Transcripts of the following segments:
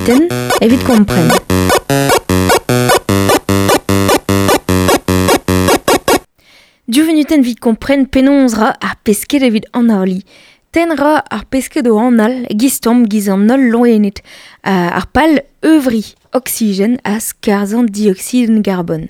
vunutenn evit kompren. Div vunutenn evit kompren penaos 'ra ar pesked evit analiñ. Tenn 'ra ar pesked o anal giz-tomm giz an holl loened. Ar pal euvriñ oksigen ha skarzhañ dioksidenn garbon.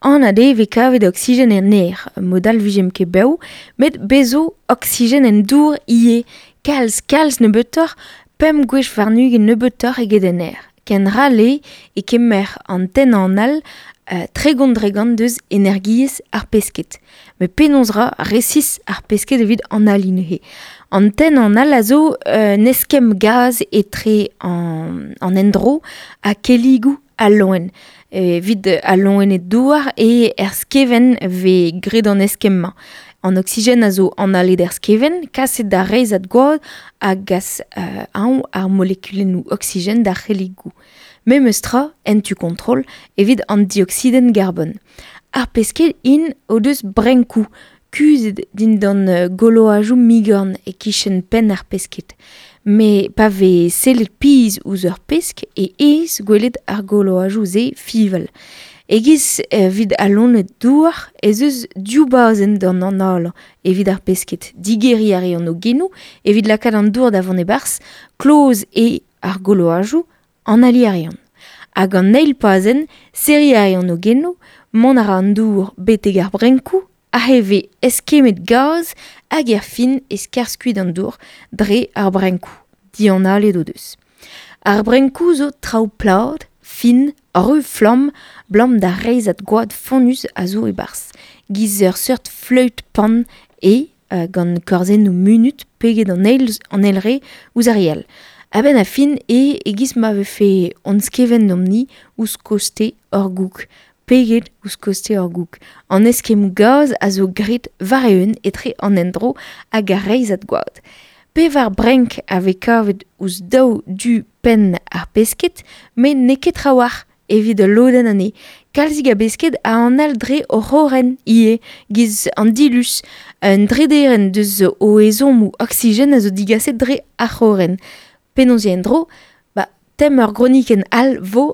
Anat eo e vez kavet oksigen en aer, mod all 'vijemp ket bev, met bez zo oksigen en dour ivez, kalz kalz nebeutoc'h, pemp gwech warn-ugent nebeutoc'h eget en aer. Ken ral eo e kemer an tenn anal 30% deus energiezh ar pesked. Met penaos 'ra resis ar pesked evit analiñ neuze? An tenn anal a zo un eskemm gaz etre an endro ha kelligoù al loen. Evit al loened douar eo er skevent 'vez graet an eskemm-mañ. An oksigen a zo analet er skevent, kaset d'ar reizhad gwad a gas anv ar molekulennoù oksigen d'ar c'helligoù. Memes tra, en tu kontrol, evit an dioksidenn garbon. Ar pesked int o deus brenkoù kuzhet dindan goloajoù migorn e-kichen penn ar pesked. Met pa vez sellet pizh ouzh ur pesk e aes gwelet ar goloajoù-se fiñval. E-giz evit al loened douar ez eus div bazenn d'an analañ evit ar pesked. Digeriñ a reont o genoù evit lakaat an dour da vont e-barzh, kloz eo ar goloajoù, analiñ a reont. Hag an eil pazenn, serriñ a reont o genoù, mont a ra an dour betek ar brenkoù, aze e vez eskemmet gaz hag er fin e skarzh kuit an dour dre ar brenkoù, dianalet o deus. Ar brenkoù zo traoù plat, fin, ru-flamm, 'blam d'ar reizhad gwad fonnus a zo e-barzh. Giz ur seurt fleüt pan eo gant korzennoù munut peget an eil an eil re ouzh ar re all. A-benn ar fin eo e-giz ma vefe hon skevent deomp-ni ouzh koste hor goûg. Peget ouzh koste hor goûg. An eskemmoù gaz a zo graet war-eeun etre an endro hag ar reizhad gwad. Pevar brenk a vez kavet ouzh daou du penn ar pesked, met n'eo ket trawalc'h evit ul lodenn anezhe. Kalzik a besked a anal dre o c'horren ivez, giz an diluz. Un drederenn deus o ezhommoù oksigen a zo digaset dre ar c'horren. Penaos eo en-dro ? Ba, tem ur gronikenn all 'vo.